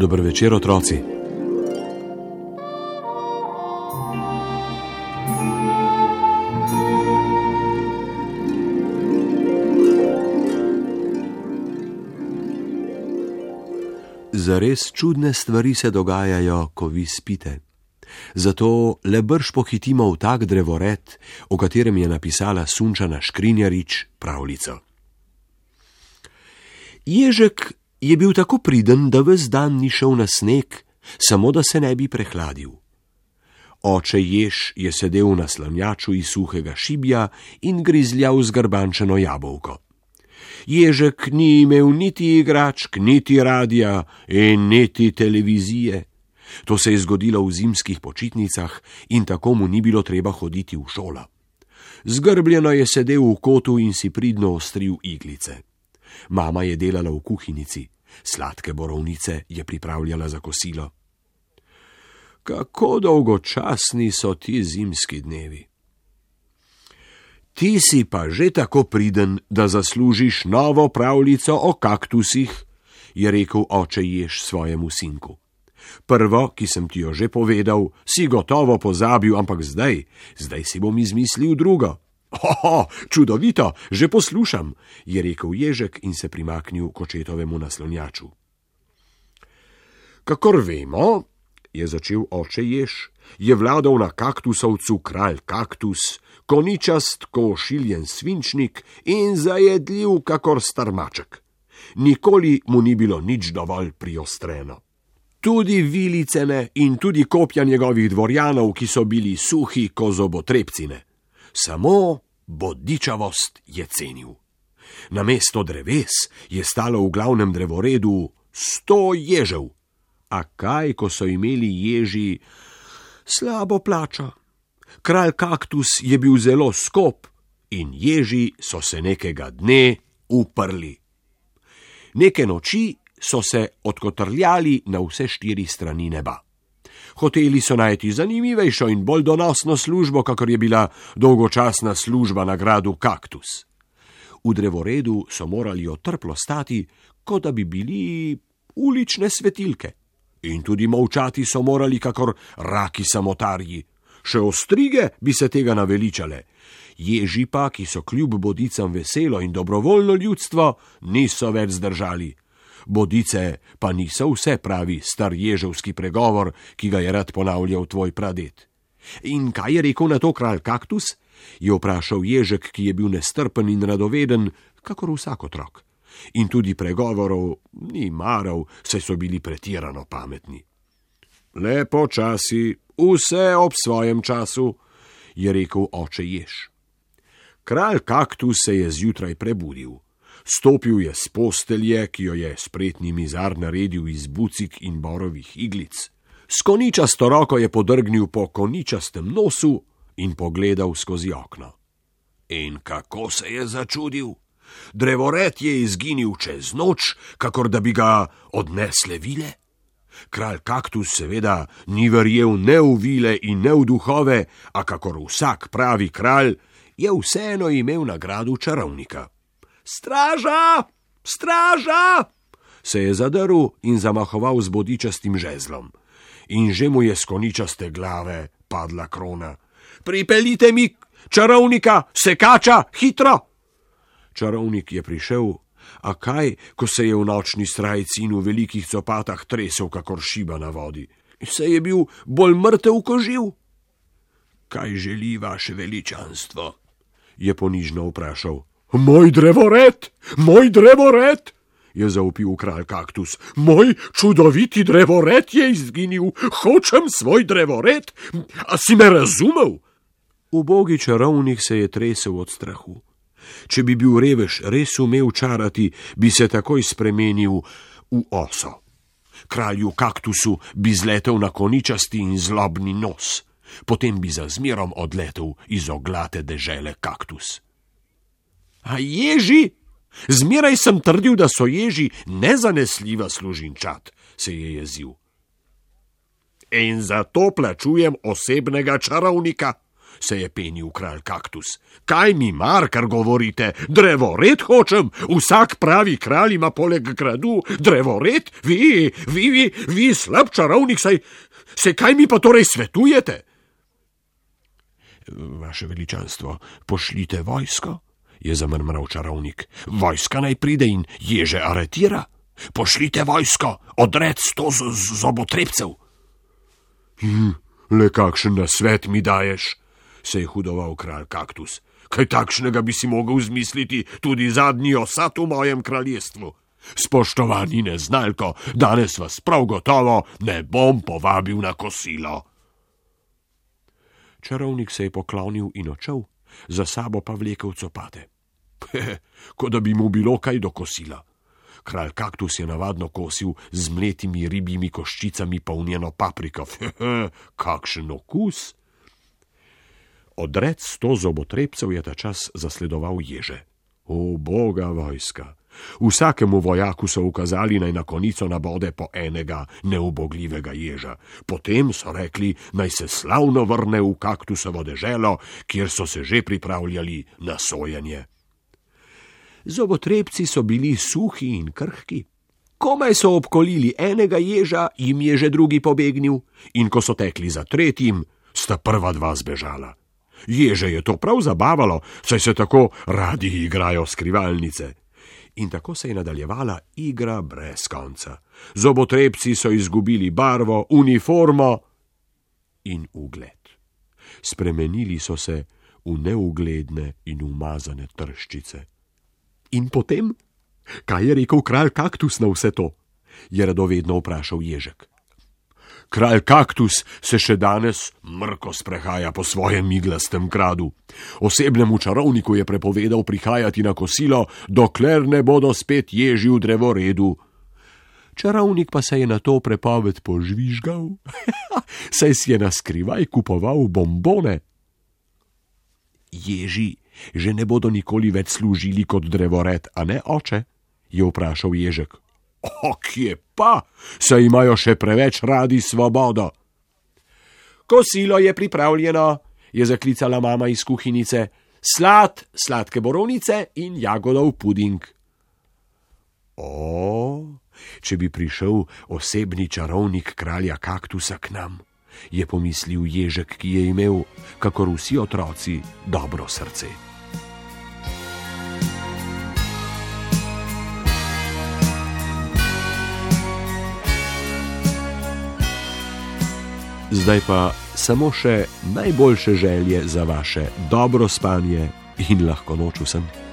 Dober večer, otroci. Zares čudne stvari se dogajajo, ko vi spite. Zato le brž pohitimo v tak drevored, o katerem je napisala Sunčana Škrinjarič pravljico. Ježek je bil tako priden, da ves dan ni šel na sneg, samo da se ne bi prehladil. Oče jež je sedel na slanjaču iz suhega šibja in grizljal zgrbančeno jabolko. Ježek ni imel niti igračk, niti radija in niti televizije. To se je zgodilo v zimskih počitnicah in tako mu ni bilo treba hoditi v šolo. Zgrbljeno je sedel v kotu in si pridno ostril iglice. Mama je delala v kuhinjici, sladke borovnice je pripravljala za kosilo. Kako dolgočasni so ti zimski dnevi. Ti si pa že tako priden, da zaslužiš novo pravljico o kaktusih, je rekel oče jež svojemu sinku. Prvo, ki sem ti jo že povedal, si gotovo pozabil, ampak zdaj si bom izmislil drugo. Oho, čudovito, že poslušam, je rekel ježek in se primaknil k očetovemu naslonjaču. Kakor vemo, je začel oče jež, je vladal na kaktusovcu kralj kaktus, koničast ko ošiljen svinčnik in zajedljiv kakor starmaček. Nikoli mu ni bilo nič dovolj priostreno. Tudi vilicene in tudi kopja njegovih dvorjanov, ki so bili suhi ko zobotrebcine. Samo bodičavost je cenil. Namesto dreves je stalo v glavnem drevoredu 100 ježev. A kaj, ko so imeli ježi slabo plačo? Kralj kaktus je bil zelo skop in ježi so se nekega dne uprli. Neke noči so se odkotrljali na vse 4 strani neba. Hoteli so najti zanimivejšo in bolj donosno službo, kakor je bila dolgočasna služba na gradu kaktus. V drevoredu so morali otrplo stati, kot da bi bili ulične svetilke. In tudi molčati so morali kakor raki samotarji. Še ostrige bi se tega naveličale. Ježi pa, ki so kljub bodicam veselo in dobrovoljno ljudstvo, niso več zdržali. Bodice pa niso vse, pravi star ježevski pregovor, ki ga je rad ponavljal tvoj pradet. In kaj je rekel na to kralj kaktus? Je vprašal ježek, ki je bil nestrpen in radoveden, kakor vsak otrok. In tudi pregovorov ni maral, saj so bili pretirano pametni. Le počasi, vse ob svojem času, je rekel oče jež. Kralj kaktus se je zjutraj prebudil. Stopil je s postelje, ki jo je spretni mizar naredil iz bucik in borovih iglic. S koničasto roko je podrgnil po koničastem nosu in pogledal skozi okno. In kako se je začudil? Drevored je izginil čez noč, kakor da bi ga odnesle vile. Kralj kaktus seveda ni verjel ne v vile in ne v duhove, a kakor vsak pravi kralj, je vseeno imel nagradu čarovnika. Straža! Straža! Se je zadrl in zamahoval z bodičastim žezlom. In že mu je s koničaste glave padla krona. Pripeljite mi čarovnika, sekača, hitro! Čarovnik je prišel, a kaj, ko se je v nočni srajci in v velikih copatah tresel kakor šiba na vodi. Se je bil bolj mrtev ko živ. Kaj želi vaše veličanstvo? Je ponižno vprašal. Moj drevored, je zavpil kralj kaktus. Moj čudoviti drevored je izginil, hočem svoj drevored, a si me razumel? Ubogi čarovnik se je tresel od strahu. Če bi bil revež res umel čarati, bi se takoj spremenil v oso. Kralju kaktusu bi zletel na koničasti in zlobni nos, potem bi za zmerom odletel iz oglate dežele kaktus. A ježi? Zmeraj sem trdil, da so ježi nezanesljiva služinčat, se je jezil. In zato plačujem osebnega čarovnika. se je penil kralj kaktus. Kaj mi mar, kar govorite? Drevored hočem? Vsak pravi kralj ima poleg gradu drevored? Vi slab čarovnik, saj kaj mi pa torej svetujete? Vaše veličanstvo, pošljite vojsko, je zamrmral čarovnik. Vojska naj pride in ježe aretira. Pošljite vojsko, odrec 100 zobotrebcev. Le kakšen nasvet mi daješ, se je hudoval kralj kaktus. Kaj takšnega bi si mogel zmisliti tudi zadnji osad v mojem kraljestvu? Spoštovani neznalko, danes vas prav gotovo ne bom povabil na kosilo. Čarovnik se je poklonil in odšel, za sabo pa vlekel copate. Kot da bi mu bilo kaj do kosila. Kralj kaktus je navadno kosil z mletimi ribjimi koščicami polnjeno papriko. Kakšen okus! Odrec 100 zobotrebcev je ta čas zasledoval ježe. O, boga vojska! Vsakemu vojaku so ukazali, naj na konico nabode po enega neubogljivega ježa. Potem so rekli, naj se slavno vrne v kaktusovo deželo, kjer so se že pripravljali na sojenje. Zobotrebci so bili suhi in krhki. Komaj so obkolili enega ježa, jim je že drugi pobegnil, in ko so tekli za tretjim, sta prva dva zbežala. Ježe je to prav zabavalo, saj se tako radi igrajo skrivalnice. In tako se je nadaljevala igra brez konca. Zobotrebci so izgubili barvo, uniformo in ugled. Spremenili so se v neugledne in umazane trščice. In potem? Kaj je rekel kralj kaktus na vse to? Je radovedno vprašal ježek. Kralj kaktus se še danes mrko sprehaja po svojem iglastem gradu. Osebnemu čarovniku je prepovedal prihajati na kosilo, dokler ne bodo spet ježi v drevoredu. Čarovnik pa se je na to prepoved požvižgal, saj si je naskrivaj kupoval bombone. Ježi že ne bodo nikoli več služili kot drevored, a ne, oče? Je vprašal ježek. Kje pa? Saj imajo še preveč radi svobodo. Kosilo je pripravljeno, je zaklicala mama iz kuhinjice. Sladke borovnice in jagodov puding. Če bi prišel osebni čarovnik kralja kaktusa k nam, je pomislil ježek, ki je imel, kakor vsi otroci, dobro srce. Zdaj pa samo še najboljše želje za vaše dobro spanje in lahko noč vsem.